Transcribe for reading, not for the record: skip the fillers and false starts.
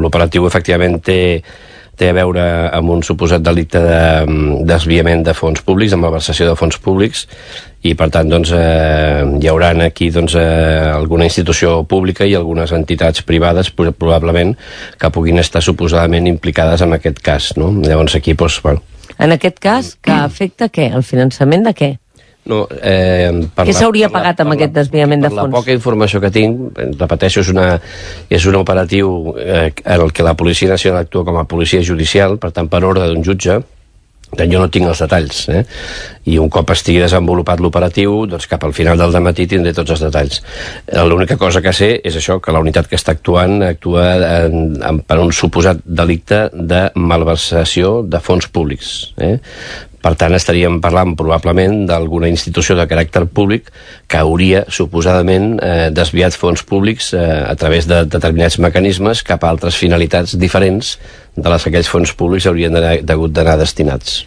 l'operatiu efectivament té a veure amb un suposat delicte de desviament de fons públics, amb malversació de fons públics, i per tant doncs, hi haurà aquí doncs, alguna institució pública i algunes entitats privades probablement que puguin estar suposadament implicades en aquest cas, no? Llavors aquí doncs, bueno. En aquest cas, que afecta què? El finançament de què? No, què s'hauria pagat amb aquest desviament de fons? Per la poca informació que tinc, repeteixo, és un operatiu en el que la Policia Nacional actua com a policia judicial, per tant, per ordre d'un jutge. Jo no tinc els detalls, i un cop estigui desenvolupat l'operatiu, doncs cap al final del dematí tindré tots els detalls. L'única cosa que sé és això, que la unitat que està actuant actua per un suposat delicte de malversació de fons públics. Per tant, estaríem parlant probablement d'alguna institució de caràcter públic que hauria suposadament desviat fons públics a través de determinats mecanismes cap a altres finalitats diferents de les que aquells fons públics haurien hagut d'anar destinats.